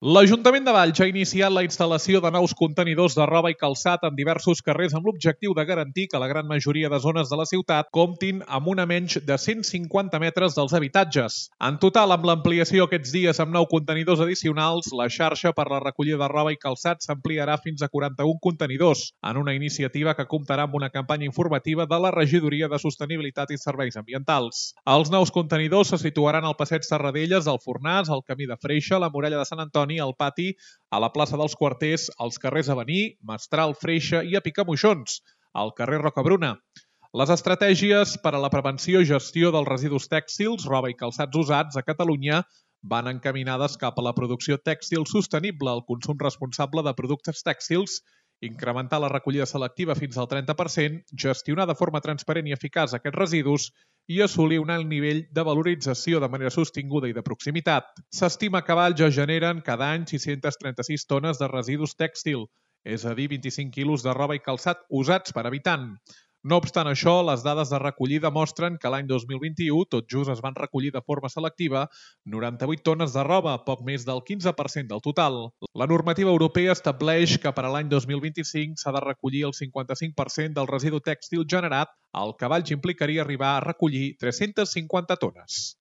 L'Ajuntament de Valls ha iniciat la instal·lació de nous contenidors de roba i calçat en diversos carrers amb l'objectiu de garantir que la gran majoria de zones de la ciutat comptin amb una menys de 150 metres dels habitatges. En total, amb l'ampliació aquests dies amb 9 contenidors addicionals, la xarxa per la recollida de roba i calçat s'ampliarà fins a 41 contenidors, en una iniciativa que comptarà amb una campanya informativa de la Regidoria de Sostenibilitat i Serveis Ambientals. Els nous contenidors se situaran al passeig Serradelles, al Fornàs, al Camí de Freixa, a la Muralla de Sant Antoni, al pati, a la plaça dels Quarters, als carrers Avenir, Mestral, Freixa i a Picamoixons, al carrer Rocabruna. Les estratègies per a la prevenció i gestió dels residus tèxtils, roba i calçats usats a Catalunya van encaminades cap a la producció tèxtil sostenible, el consum responsable de productes tèxtils, incrementar la recollida selectiva fins al 30%, gestionar de forma transparent i eficaç aquests residus i assolir un alt nivell de valorització de manera sostinguda i de proximitat. S'estima que a Valls es generen cada any 636 tones de residus tèxtil, és a dir, 25 quilos de roba i calçat usats per habitant. No obstant això, les dades de recollida mostren que l'any 2021 tot just es van recollir de forma selectiva 98 tones de roba, poc més del 15% del total. La normativa europea estableix que per a l'any 2025 s'ha de recollir el 55% del residu tèxtil generat, el que a Valls implicaria arribar a recollir 350 tones.